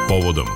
povodom.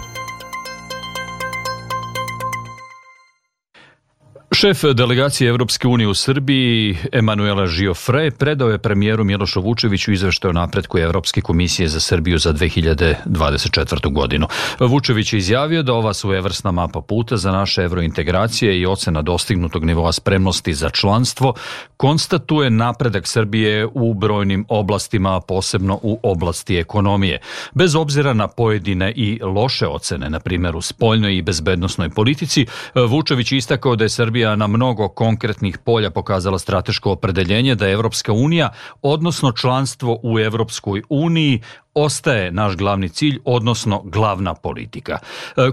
Šef delegacije Evropske unije u Srbiji, Emanuela Giofre, predao je premijeru Milošu Vučeviću izveštaj o napretku Evropske komisije za Srbiju za 2024. godinu. Vučević je izjavio da ova svojevrsna mapa puta za naše evrointegracije i ocena dostignutog nivoa spremnosti za članstvo konstatuje napredak Srbije u brojnim oblastima, posebno u oblasti ekonomije. Bez obzira na pojedine i loše ocene, na primjer u spoljnoj i bezbednosnoj politici, Vučević je istakao da je Srbija na mnogo konkretnih polja pokazala strateško opredeljenje da Evropska unija, odnosno članstvo u Evropskoj uniji, ostaje naš glavni cilj, odnosno glavna politika.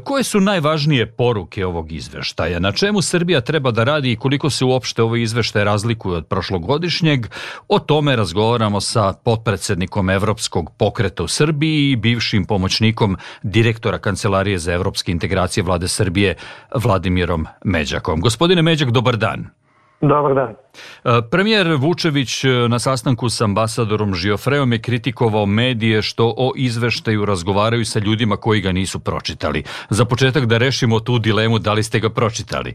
Koje su najvažnije poruke ovog izveštaja? Na čemu Srbija treba da radi i koliko se uopšte ovaj izveštaj razlikuje od prošlogodišnjeg? O tome razgovaramo sa potpredsednikom Evropskog pokreta u Srbiji i bivšim pomoćnikom direktora Kancelarije za evropske integracije Vlade Srbije, Vladimirom Međakom. Gospodine Međak, dobar dan. Dobar dan. Premijer Vučević na sastanku s ambasadorom Giofreom je kritikovao medije što o izveštaju razgovaraju sa ljudima koji ga nisu pročitali. Za početak da rešimo tu dilemu, da li ste ga pročitali?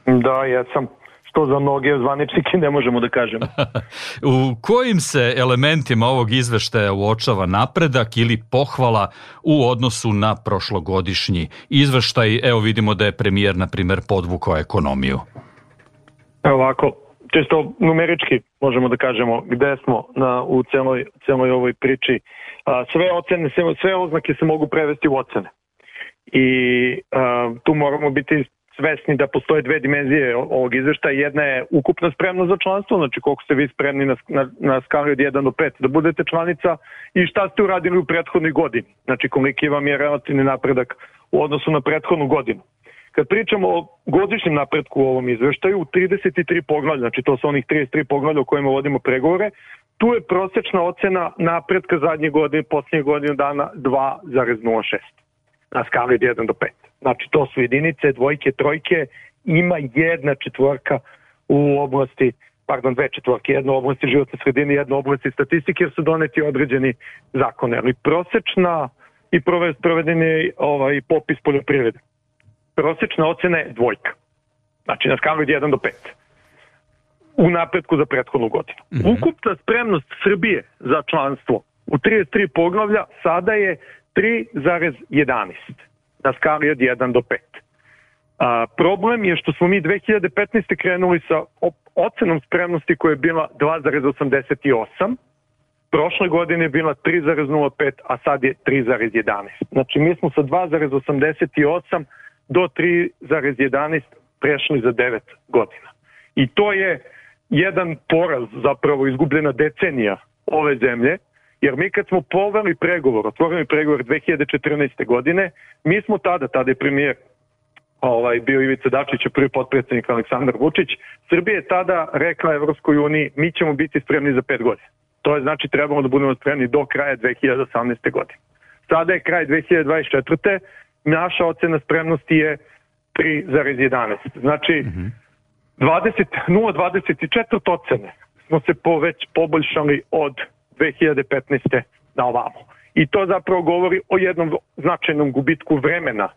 Da, ja sam. Što za mnoge zvaničnike ne možemo da kažemo. U kojim se elementima ovog izveštaja uočava napredak ili pohvala u odnosu na prošlogodišnji izveštaj? Evo vidimo da je premijer, na primjer, podvukao ekonomiju. Ovako, čisto numerički možemo da kažemo gde smo u celoj ovoj priči. Sve oznake se mogu prevesti u ocene. I tu moramo biti svesni da postoje dve dimenzije ovog izveštaja. Jedna je ukupna spremnost za članstvo, znači koliko ste vi spremni na skali od 1 do 5 da budete članica i šta ste uradili u prethodnoj godini. Znači koliki vam je relativni napredak u odnosu na prethodnu godinu. Kad pričamo o godišnjem napretku u ovom izveštaju, u 33 poglavlja, znači to su onih 33 poglavlja o kojima vodimo pregovore, tu je prosečna ocena napretka zadnje godine, posljednje godine dana 2,06 na skali od 1 do 5. Znači to su jedinice, dvojke, trojke, ima jedna četvorka u oblasti, dve četvorke, jedna u oblasti životne sredine, jedna u oblasti statistike, jer su doneti određeni zakone, ali prosečna i provedeni popis poljoprivrede. Prosečna ocena je dvojka. Znači na skali od 1 do 5. U napretku za prethodnu godinu. Ukupna spremnost Srbije za članstvo u 33 poglavlja sada je 3,11 na skali od 1 do 5. Problem je što smo mi 2015. krenuli sa ocenom spremnosti koja je bila 2,88. Prošle godine je bila 3,05, a sad je 3,11. Znači mi smo sa 2,88 do 3,11 prešli za 9 godina. I to je jedan poraz, zapravo izgubljena decenija ove zemlje, jer mi kad smo otvorili pregovor 2014. godine, mi smo tada je premijer bio Ivica Dačić, prvi potpredsjednik Aleksandar Vučić, Srbija je tada rekla Evropskoj uniji, mi ćemo biti spremni za 5 godina. To je znači trebamo da budemo spremni do kraja 2018. godine. Sada je kraj 2024. Naša ocena spremnosti je 3,11. Znači, 0,24 ocene smo se već poboljšali od 2015. na ovamo. I to zapravo govori o jednom značajnom gubitku vremena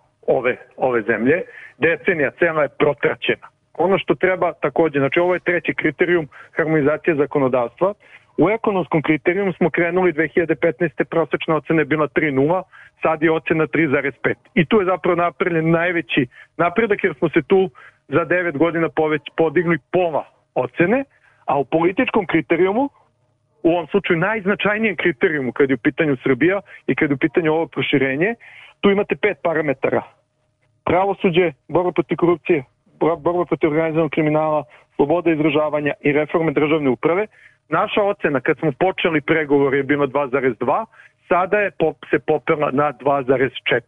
ove zemlje. Decenija cela je protraćena. Ono što treba također, znači ovo je treći kriterijum, harmonizacija zakonodavstva. U ekonomskom kriterijumu smo krenuli 2015. prosečna ocena je bila 3,0, sad je ocena 3,5. I tu je zapravo napravljen najveći napredak jer smo se tu za 9 godina podigli pola ocene, a u političkom kriterijumu, u ovom slučaju najznačajnijem kriterijumu kad je u pitanju Srbija i kad je u pitanju ovo proširenje, tu imate 5 parametara. Pravosuđe, borba protiv korupcije, borba protiv organizovanog kriminala, sloboda izražavanja i reforme državne uprave. Naša ocena kad smo počeli pregovor je bila 2,2, sada je se popela na 2,4.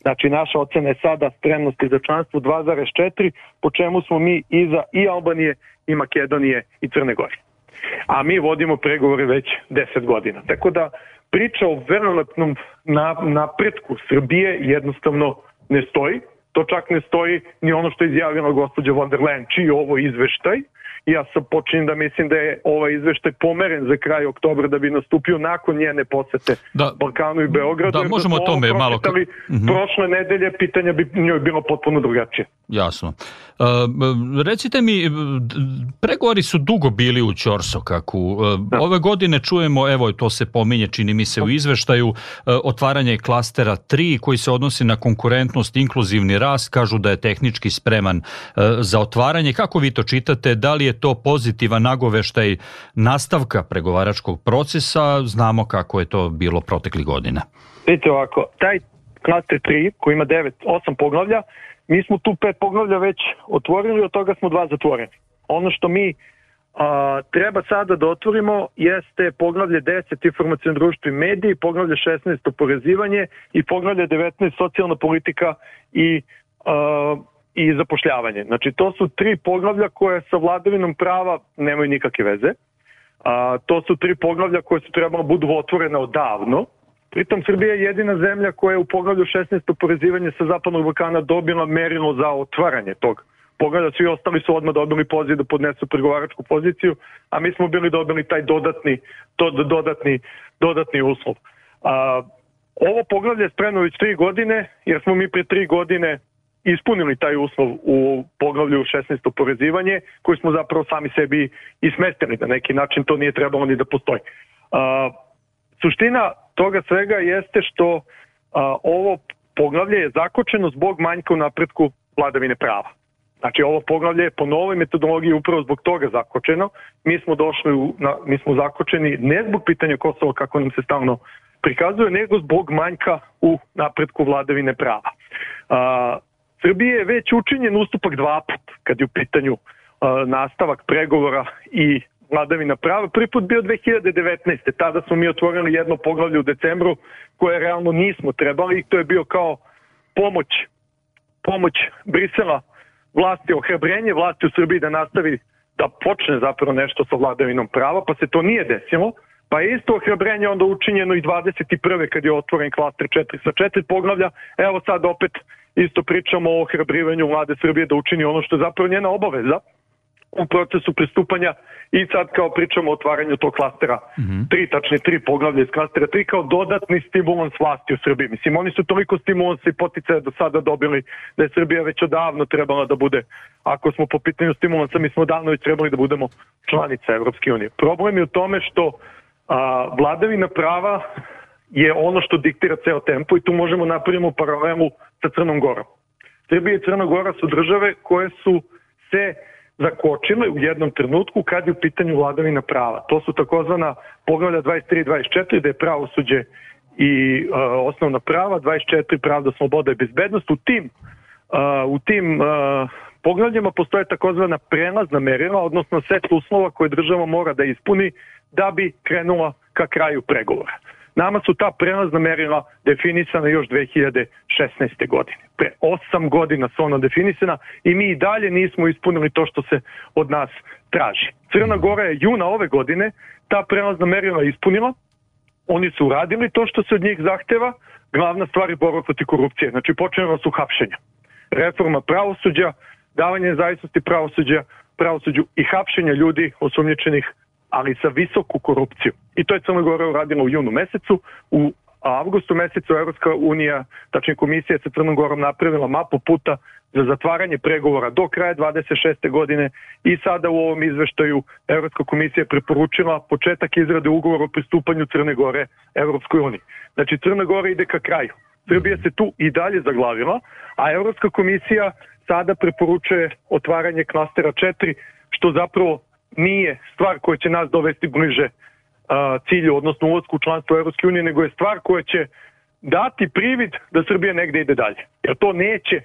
Znači naša ocena je sada spremnosti za članstvo 2,4, po čemu smo mi iza i Albanije i Makedonije i Crne Gore. A mi vodimo pregovore već 10 godina. Tako da priča o velelepnom napretku Srbije jednostavno ne stoji. To čak ne stoji ni ono što je izjavila gospođa von der Leyen, čiji je ovo izveštaj, Ja sam počinjem da mislim da je ovaj izveštaj pomeren za kraj oktobra da bi nastupio nakon njene posete Balkanu i Beogradu. Da, možemo o tome malo... Prošle nedelje pitanja bi njoj bilo potpuno drugačije. Jasno. Recite mi, pregovori su dugo bili u ćorsokaku. Ove godine čujemo, evo to se pominje, čini mi se u izveštaju, otvaranje klastera 3 koji se odnosi na konkurentnost, inkluzivni rast, kažu da je tehnički spreman za otvaranje. Kako vi to čitate? Da li je to pozitivan nagoveštaj nastavka pregovaračkog procesa? Znamo kako je to bilo proteklih godina. Vidite ovako, taj klaster 3 koji ima 8 poglavlja, mi smo tu 5 poglavlja već otvorili, od toga smo 2 zatvoreni. Ono što mi treba sada da otvorimo jeste poglavlje 10 informacijno društvo i mediji, poglavlje 16 oporezivanje i poglavlje 19 socijalna politika i zapošljavanje. Znači to su 3 poglavlja koje sa vladavinom prava nemaju nikakve veze. To su 3 poglavlja koje su trebalo budu otvorene odavno. Pritom Srbija je jedina zemlja koja je u poglavlju 16 oporezivanje sa Zapadnog Balkana dobila merilo za otvaranje tog poglavlja. Svi ostali su odmah dobili poziv da podnesu pregovaračku poziciju, a mi smo dobili taj dodatni uslov. Ovo poglavlje je spremno već 3 godine, jer smo mi pre 3 godine ispunili taj uslov u poglavlju 16 oporezivanje, koji smo zapravo sami sebi ismestili. Na neki način to nije trebalo ni da postoji. Suština toga svega jeste što ovo poglavlje je zakočeno zbog manjka u napretku vladavine prava. Znači ovo poglavlje je po novoj metodologiji upravo zbog toga zakočeno. Mi smo zakočeni ne zbog pitanja Kosova kako nam se stalno prikazuje, nego zbog manjka u napretku vladavine prava. Srbije je već učinjen ustupak 2 put kad je u pitanju nastavak pregovora i vladavina prava. Prvi put bio 2019. Tada smo mi otvorili jedno poglavlje u decembru koje realno nismo trebali i to je bio kao pomoć Brisela vlasti, ohrabrenje vlasti u Srbiji da nastavi da počne zapravo nešto sa vladavinom prava, pa se to nije desilo. Pa je isto ohrabrenje onda učinjeno i 21. kad je otvoren klaster 4 sa 4 poglavlja. Evo sad opet isto pričamo o ohrabrivanju vlade Srbije da učini ono što je zapravo njena obaveza u procesu pristupanja i sad kao pričamo o otvaranju tog klastera 3, tačnije 3 poglavlja iz klastera 3 kao dodatni stimulans vlasti u Srbiji. Mislim, oni su toliko stimulansa i poticaja do sada dobili da je Srbija već odavno trebala da bude, ako smo po pitanju stimulansa, mi smo odavno već trebali da budemo članica Evropske unije. Problem je u tome što vladavina prava je ono što diktira ceo tempo i tu možemo napravimo paralelu sa Crnom Gorom. Srbija i Crna Gora su države koje su se zakočile u jednom trenutku kad je u pitanju vladavina prava. To su takozvana poglavlja 23 i 24, da je pravosuđe i osnovna prava, 24 pravda, sloboda i bezbednost. U tim poglavljima postoje takozvana prelazna merila, odnosno set uslova koje država mora da ispuni da bi krenula ka kraju pregovora. Nama su ta prelazna merila definisana još 2016. godine. Pre 8 godina su ona definisana i mi i dalje nismo ispunili to što se od nas traži. Crna Gora je juna ove godine ta prelazna merila ispunila, oni su uradili to što se od njih zahteva, glavna stvar je borba protiv korupcije. Znači počela su hapšenja. Reforma pravosuđa, davanje nezavisnosti pravosuđu i hapšenja ljudi osumnjičenih, ali sa visoku korupciju. I to je Crna Gora uradila u junu mesecu. U avgustu mesecu Evropska unija, tačnije komisija sa Crnom Gorom napravila mapu puta za zatvaranje pregovora do kraja 26. godine i sada u ovom izveštaju Evropska komisija preporučila početak izrade ugovora o pristupanju Crne Gore Evropskoj uniji. Znači Crna Gora ide ka kraju. Srbija se tu i dalje zaglavila, a Evropska komisija sada preporučuje otvaranje klastera 4, što zapravo nije stvar koja će nas dovesti bliže cilju, odnosno ulasku u članstvo Evropske unije, nego je stvar koja će dati privid da Srbija negde ide dalje. Jer to neće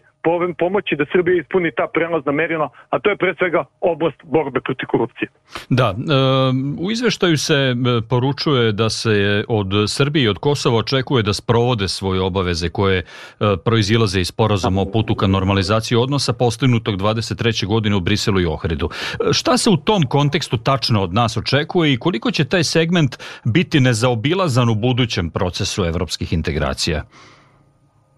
pomoći da Srbija ispuni ta prelazna merila, a to je pre svega oblast borbe protiv korupcije. Da, u izveštaju se poručuje da se od Srbije i od Kosova očekuje da sprovode svoje obaveze koje proizilaze iz sporazuma o putu ka normalizaciji odnosa postignutog 23. godine u Briselu i Ohridu. Šta se u tom kontekstu tačno od nas očekuje i koliko će taj segment biti nezaobilazan u budućem procesu evropskih integracija?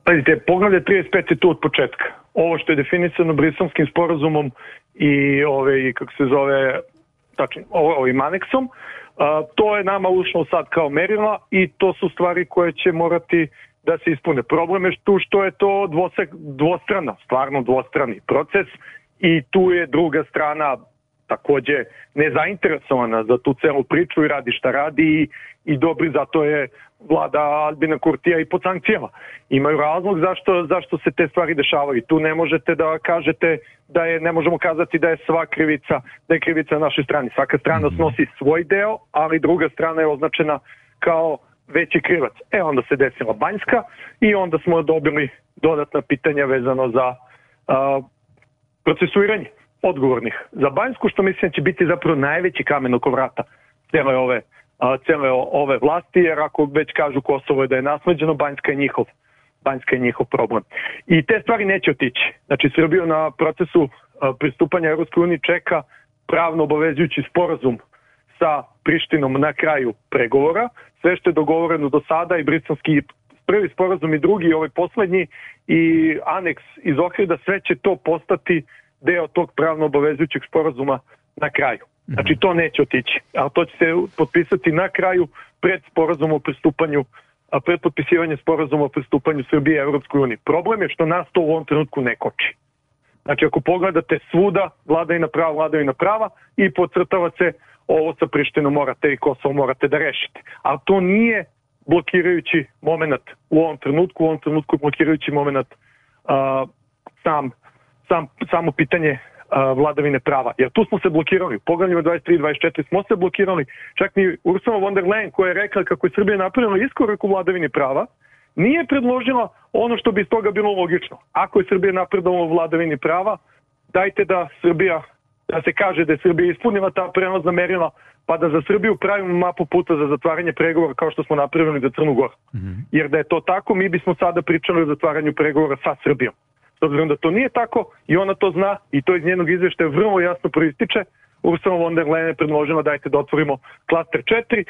Pazite, poglavlje 35 je tu od početka. Ovo što je definisano Briselskim sporazumom i kako se zove, tačnije, ovim aneksom. To je nama ušlo sad kao merila i to su stvari koje će morati da se ispune. Problem je tu što je to stvarno dvostrani proces i tu je druga strana takođe nezainteresovana za tu celu priču i radi šta radi i dobri, zato je vlada Albina Kurtija i pod sankcijama. Imaju razlog zašto se te stvari dešavaju. Tu ne možete da kažete ne možemo kazati da je sva krivica, da je krivica na našoj strani. Svaka strana snosi svoj deo, ali druga strana je označena kao veći krivac. Onda se desila Banjska i onda smo dobili dodatna pitanja vezano za procesuiranje odgovornih za Banjsku, što mislim će biti zapravo najveći kamen oko vrata cele ove vlasti, jer ako već kažu Kosovo je da je nasleđeno, Banjska je njihov problem. I te stvari neće otići. Znači, Srbiju na procesu pristupanja Evropskoj uniji čeka pravno obavezujući sporazum sa Prištinom na kraju pregovora. Sve što je dogovoreno do sada i britanski prvi sporazum i drugi, ovaj poslednji i aneks iz Ohrida, sve će to postati deo tog pravno obavezujućeg sporazuma na kraju. Znači, to neće otići, ali to će se potpisati na kraju pred potpisivanje sporazuma o pristupanju Srbije Evropskoj uniji. Problem je što nas to u ovom trenutku ne koči. Znači, ako pogledate svuda, vladavina prava i podcrtava se ovo sa Prištinom morate i Kosovo morate da rešite. Ali to nije blokirajući moment u ovom trenutku blokirajući moment samo pitanje vladavine prava. Jer tu smo se blokirali. U poglavljima 23 i 24 smo se blokirali. Čak ni Ursula von der Leyen, koja je rekla kako je Srbija napravila iskorak u vladavini prava, nije predložila ono što bi iz toga bilo logično. Ako je Srbija napredovala u vladavini prava, dajte da se kaže da je Srbija ispunila ta prelazna merila, pa da za Srbiju pravimo mapu puta za zatvaranje pregovora kao što smo napravili za Crnu Goru. Jer da je to tako, mi bismo sada pričali o zatvaranju pregovora sa Srbijom. S obzirom da to nije tako i ona to zna i to iz njenog izveštaja vrlo jasno proističe, Ursula von der Leyen je predložila dajte da otvorimo klaster 3,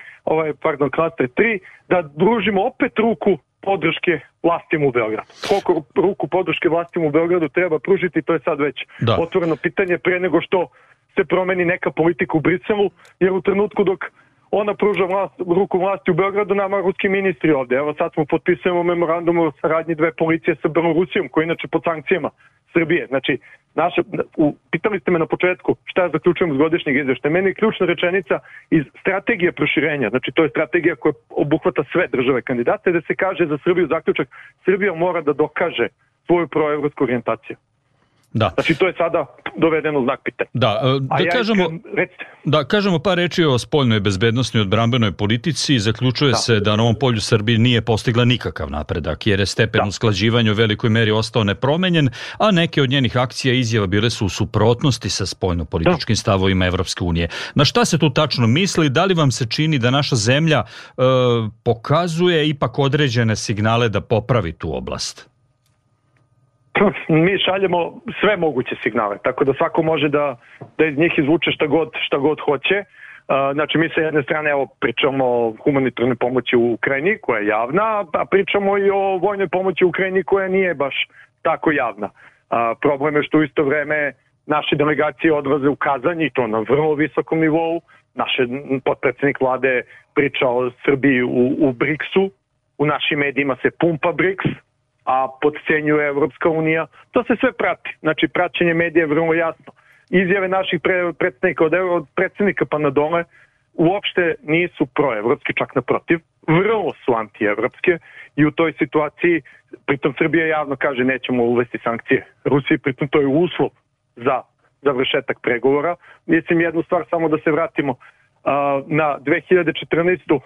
da družimo opet ruku podrške vlastima u Beogradu. Koliko ruku podrške vlastima u Beogradu treba pružiti, to je sad već otvoreno pitanje pre nego što se promeni neka politika u Briselu, jer u trenutku dok ona pruža ruku vlasti u Beogradu, nama ruski ministri ovde. Evo sad smo potpisujemo memorandum o saradnji dve policije sa Belorusijom, koji inače pod sankcijama Srbije. Znači, pitali ste me na početku šta ja zaključujem iz godišnjeg izveštaja. Meni je ključna rečenica iz strategije proširenja, znači to je strategija koja obuhvata sve države kandidate, da se kaže za Srbiju zaključak, Srbija mora da dokaže svoju proevropsku orijentaciju. Da. Znači, to je sada dovedeno u znak pitanja. Da kažemo par reči o spoljnoj bezbednosnoj i odbrambenoj politici. Zaključuje se da na ovom polju Srbija nije postigla nikakav napredak, jer je stepen usklađivanja u velikoj meri ostao nepromenjen, a neke od njenih akcija i izjava bile su u suprotnosti sa spoljno-političkim stavovima Evropske unije. Na šta se tu tačno misli? Da li vam se čini da naša zemlja pokazuje ipak određene signale da popravi tu oblast? Mi šaljemo sve moguće signale, tako da svako može da iz njih izvuče šta god hoće. Znači, mi sa jedne strane pričamo o humanitarnoj pomoći u Ukrajini, koja je javna, a pričamo i o vojnoj pomoći u Ukrajini, koja nije baš tako javna. Problem je što u isto vreme naše delegacije odlaze u Kazanj, i to na vrlo visokom nivou. Naš potpredsjednik vlade priča o Srbiji u BRICS-u, u našim medijima se pumpa BRICS, a podcenjuje Evropska unija. To se sve prati. Znači, praćenje medija je vrlo jasno. Izjave naših predstavnika od predsednika pa na dole uopšte nisu proevropske, čak naprotiv. Vrlo su antievropske i u toj situaciji, pritom Srbija javno kaže nećemo uvesti sankcije Rusiji, pritom to je uslov za završetak pregovora. Mislim jednu stvar, samo da se vratimo na 2014.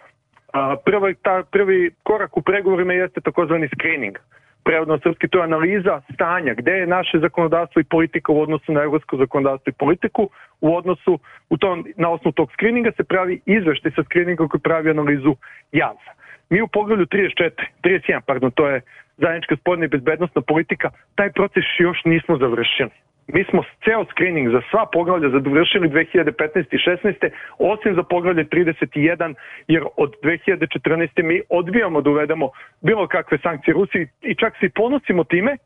Prvi korak u pregovorima jeste takozvani screening. Prevodno srpski, to je analiza stanja, gde je naše zakonodavstvo i politika u odnosu na evropsko zakonodavstvo i politiku, na osnovu tog skrininga se pravi izveštaj sa skrininga koji pravi analizu JAS-a. Mi u poglavlju 31, to je zajednička spoljna i bezbednosna politika, taj proces još nismo završili. Mi smo ceo screening za sva poglavlja završili 2015. i 2016. osim za poglavlje 31, jer od 2014. mi odbijamo da uvedemo bilo kakve sankcije Rusiji i čak se i ponosimo time,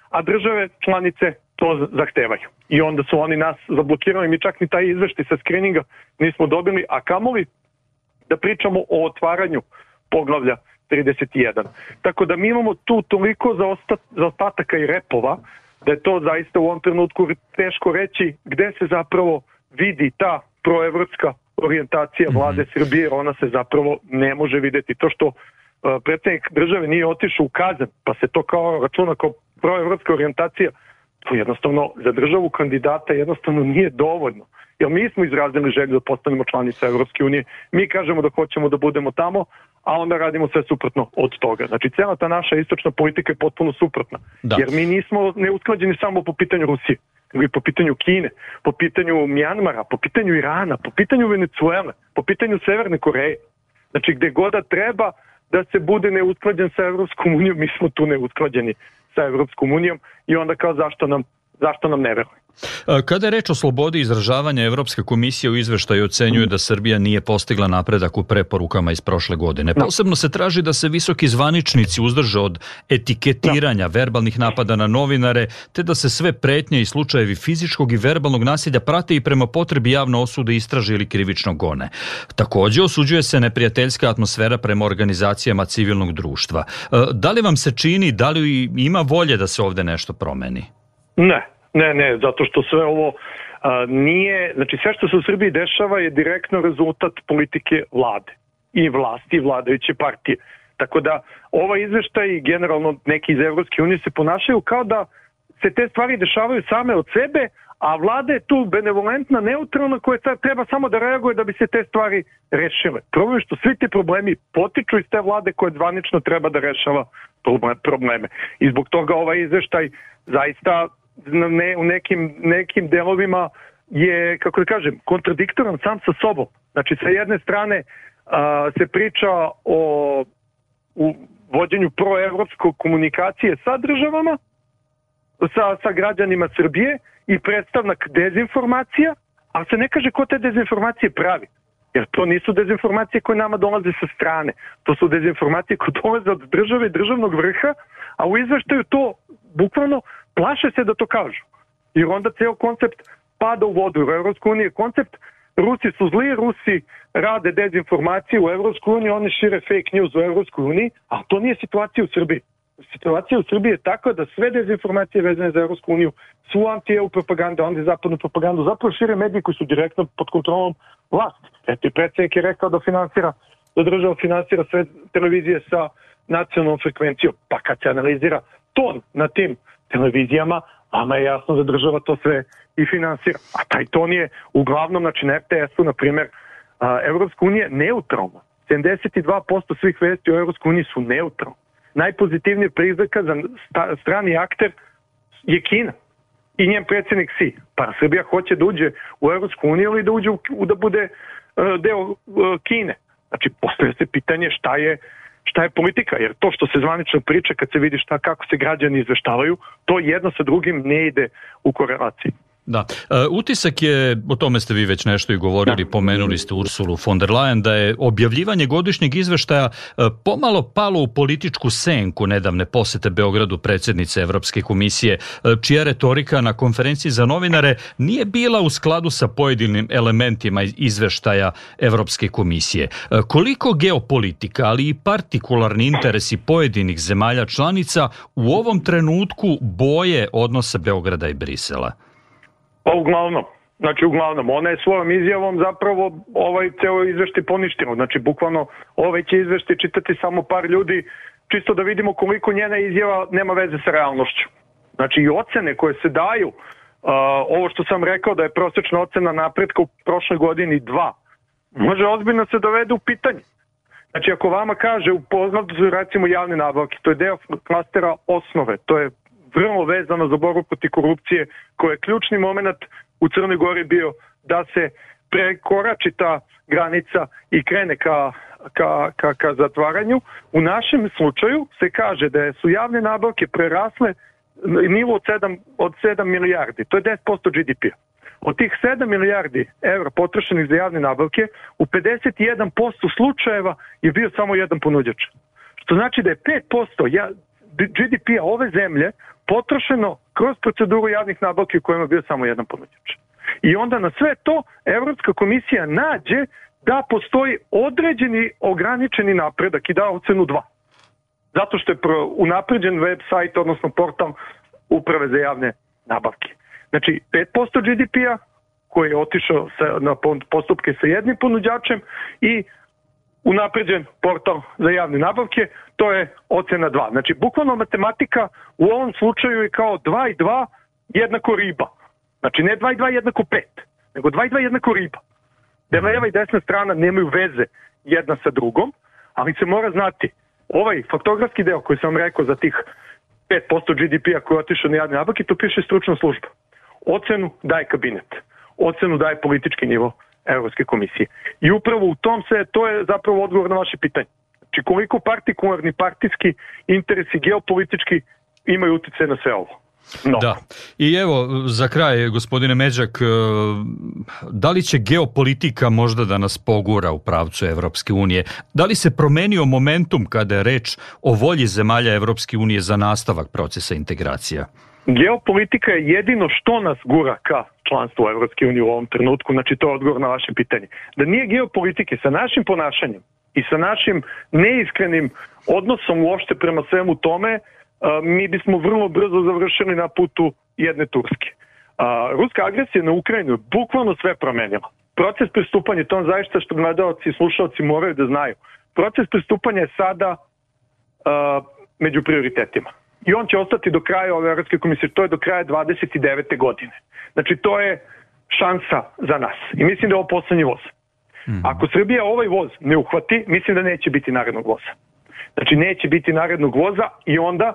a države članice to zahtevaju. I onda su oni nas zablokirali, mi čak ni taj izveštaj sa skrininga nismo dobili, a kamoli da pričamo o otvaranju poglavlja 31. Tako da mi imamo tu toliko zaostataka i repova, da je to zaista u ovom trenutku teško reći gde se zapravo vidi ta proevropska orijentacija vlade Srbije, jer ona se zapravo ne može videti. To što predsjednik države nije otišao u Kazan, pa se to kao računa kao proevropska orijentacija, to jednostavno za državu kandidata jednostavno nije dovoljno. Jer mi smo izrazili želju da postanemo članica Evropske unije, mi kažemo da hoćemo da budemo tamo, a onda radimo sve suprotno od toga. Znači, cijela ta naša istočna politika je potpuno suprotna. Da. Jer mi nismo neusklađeni samo po pitanju Rusije, nego i po pitanju Kine, po pitanju Mjanmara, po pitanju Irana, po pitanju Venecuele, po pitanju Severne Koreje. Znači, gde god da treba da se bude neusklađen sa Evropskom unijom, mi smo tu neusklađeni sa Evropskom unijom i onda kao zašto nam ne veruje. Kada je reč o slobodi izražavanja, Evropska komisija u izveštaju ocenjuje da Srbija nije postigla napredak u preporukama iz prošle godine. Posebno se traži da se visoki zvaničnici uzdrže od etiketiranja, verbalnih napada na novinare, te da se sve pretnje i slučajevi fizičkog i verbalnog nasilja prate i prema potrebi javno osude, istraže ili krivično gone. Također osuđuje se neprijateljska atmosfera prema organizacijama civilnog društva. Da li vam se čini, da li ima volje da se ovde nešto promeni? Ne, zato što sve ovo nije, znači sve što se u Srbiji dešava je direktno rezultat politike vlade i vlasti i vladajuće partije. Tako da ovaj izveštaj i generalno neki iz Evropske unije se ponašaju kao da se te stvari dešavaju same od sebe, a vlada je tu benevolentna, neutralna koja treba samo da reaguje da bi se te stvari rešile. Problem je što svi ti problemi potiču iz te vlade koja zvanično treba da rešava probleme. I zbog toga ovaj izveštaj zaista u nekim delovima je, kako da kažem, kontradiktoran sam sa sobom. Znači, sa jedne strane se priča o vođenju proevropskog komunikacije sa državama, sa građanima Srbije i predstavnak dezinformacija, ali se ne kaže ko te dezinformacije pravi. Jer to nisu dezinformacije koje nama dolaze sa strane. To su dezinformacije koje dolaze od države i državnog vrha, a u izveštaju to bukvalno plaše se da to kažu. Jer onda ceo koncept pada u vodu. U Evropskoj uniji je koncept Rusi su zli, Rusi rade dezinformacije u Evropskoj uniji, oni šire fake news u Evropskoj uniji, a to nije situacija u Srbiji. Situacija u Srbiji je takva da sve dezinformacije vezane za Evropsku uniju su anti-EU propaganda, anti-zapadnu propagandu, zapravo šire mediji koji su direktno pod kontrolom vlasti. Eto i predsjednik je rekao da država finansira sve televizije sa nacionalnom frekvencijom. Pa kad se analizira ton na tim televizijama, vama je jasno da država to sve i finansira. A taj ton je uglavnom, znači na RTS-u, na primjer, Evropska unija neutralna. 72% svih vesti o Evropskoj uniji su neutralne. Najpozitivnije prizvaka za strani akter je Kina i njen predsjednik Xi. Pa Srbija hoće da uđe u Evropsku uniju ili da bude deo Kine. Znači, postavlja se pitanje šta je politika, jer to što se zvanično priča kad se vidi kako se građani izveštavaju, to jedno sa drugim ne ide u korelaciji. Da. Utisak je, o tome ste vi već nešto i govorili, pomenuli ste Ursulu von der Leyen, da je objavljivanje godišnjeg izveštaja pomalo palo u političku senku nedavne posete Beogradu predsjednice Evropske komisije, čija retorika na konferenciji za novinare nije bila u skladu sa pojedinim elementima izveštaja Evropske komisije. Koliko geopolitika, ali i partikularni interesi pojedinih zemalja članica u ovom trenutku boje odnosa Beograda i Brisela? Pa uglavnom, ona je svojom izjavom zapravo ceo izveštaj poništila. Znači, bukvalno će izveštaj čitati samo par ljudi, čisto da vidimo koliko njena izjava nema veze sa realnošću. Znači, i ocene koje se daju, ovo što sam rekao da je prosječna ocena napretka u prošle godini 2, može ozbiljno se dovede u pitanje. Znači, ako vama kaže, upoznat su recimo javne nabavke, to je deo klastera osnove, to je vrlo vezano za borbu protiv korupcije, koji je ključni moment u Crnoj Gori bio da se prekorači ta granica i krene ka zatvaranju. U našem slučaju se kaže da su javne nabavke prerasle nivo od 7 milijardi. To je 10% GDP-a. Od tih 7 milijardi evra potrošenih za javne nabavke, u 51% slučajeva je bio samo jedan ponuđač. Što znači da je 5% GDP-a ove zemlje potrošeno kroz proceduru javnih nabavki u kojima je bio samo jedan ponuđač. I onda na sve to Evropska komisija nađe da postoji određeni ograničeni napredak i da ocenu 2. Zato što je unapređen web sajt, odnosno portal Uprave za javne nabavke. Znači 5% GDP-a koji je otišao na postupke sa jednim ponuđačem i unapređen portal za javne nabavke, to je ocena 2. Znači bukvalno matematika u ovom slučaju je kao 2 i 2 jednako riba. Znači ne 2 i 2 jednako 5, nego 2 i 2 jednako riba. Da leva i desna strana nemaju veze jedna sa drugom, ali se mora znati, ovaj faktografski deo koji sam rekao za tih 5% GDP-a koji je otišao na javne nabavke, to piše stručna služba. Ocenu daje kabinet. Ocenu daje politički nivo Evropske komisije. I upravo u tom to je zapravo odgovor na vaše pitanje. Znači koliko partikularni partijski interesi geopolitički imaju utjecaj na sve ovo. No. Da. I evo, za kraj, gospodine Međak, da li će geopolitika možda da nas pogura u pravcu Evropske unije? Da li se promenio momentum kada je reč o volji zemalja Evropske unije za nastavak procesa integracija? Geopolitika je jedino što nas gura ka članstvu Evropske unije u ovom trenutku, znači to je odgovor na vaše pitanje. Da nije geopolitike sa našim ponašanjem i sa našim neiskrenim odnosom uopšte prema svemu tome, mi bismo vrlo brzo završili na putu jedne Turske. Ruska agresija na Ukrajinu je bukvalno sve promenila. Proces pristupanja, to zaista što gledalci i slušalci moraju da znaju, proces pristupanja je sada među prioritetima. I on će ostati do kraja ove Evropske komisije, to je do kraja 29. godine. Znači to je šansa za nas. I mislim da je ovo poslednji voz. Ako Srbija ovaj voz ne uhvati, mislim da neće biti narednog voza. Znači neće biti narednog voza i onda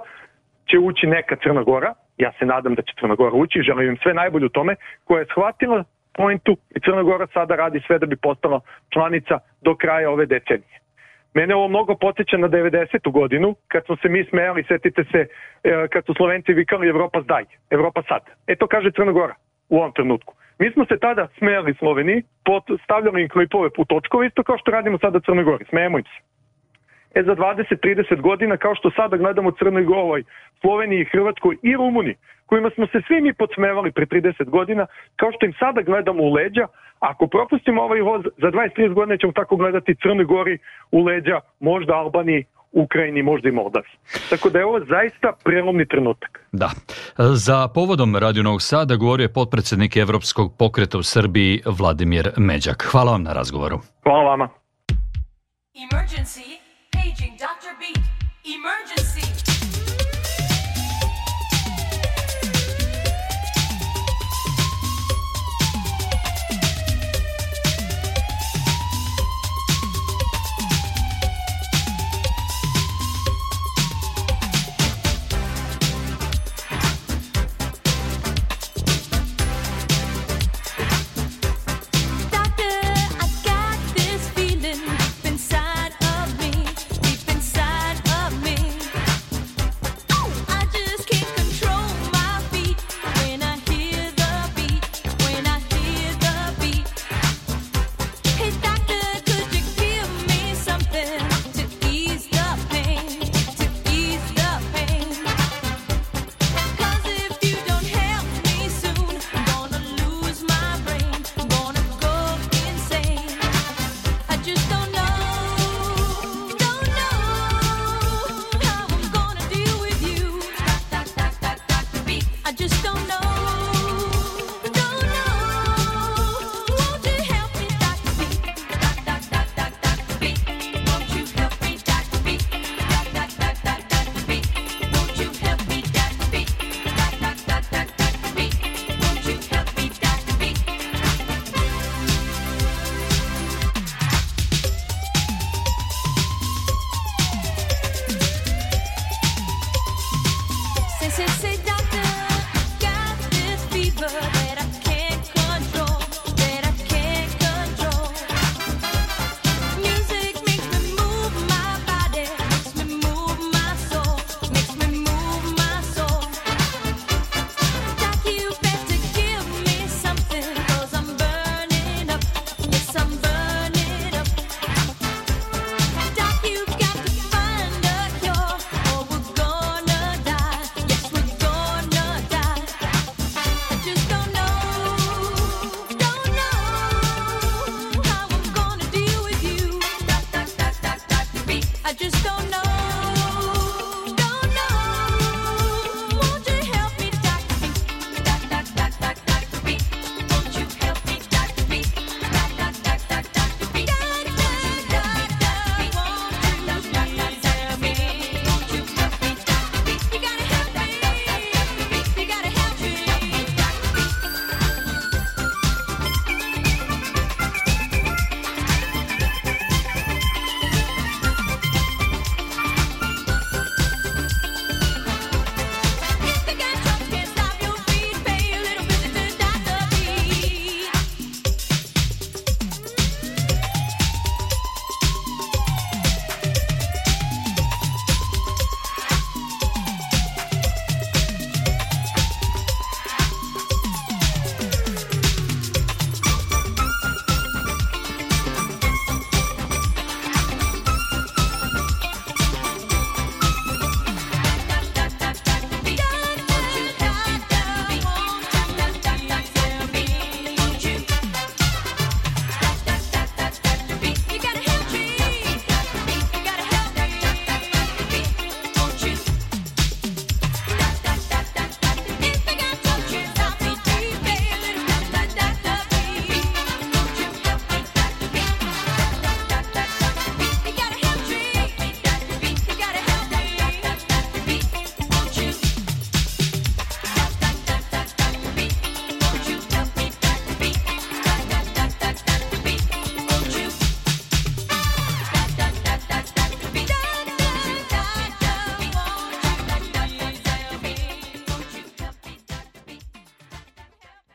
će ući neka Crna Gora, ja se nadam da će Crna Gora ući, želim im sve najbolje u tome, koja je shvatila pointu i Crna Gora sada radi sve da bi postala članica do kraja ove decenije. Mene ovo mnogo podsjeća na 90. godinu, kad smo se mi smejali, setite se, kad su Slovenci vikali Evropa zdaj, Evropa sad. To kaže Crna Gora u ovom trenutku. Mi smo se tada smejali Sloveniji, stavljali im klipove u točkove, isto kao što radimo sada Crnoj Gori, smejemo im se. Za 20-30 godina, kao što sada gledamo Crnoj Gori, Sloveniji, Hrvatskoj i Rumuniji, kojima smo se svi mi podsmevali pre 30 godina, kao što im sada gledamo u leđa, ako propustimo ovaj voz, za 20-30 godina ćemo tako gledati Crnoj Gori u leđa, možda Albaniji, Ukrajini, možda i Moldavi. Tako da je ovo zaista prelomni trenutak. Da. Za povodom Radio Novog Sada govorio je potpredsednik Evropskog pokreta u Srbiji Vladimir Međak. Hvala vam na razgovoru. Hvala vama. Emergency, paging Dr. Beat. Emergency. Say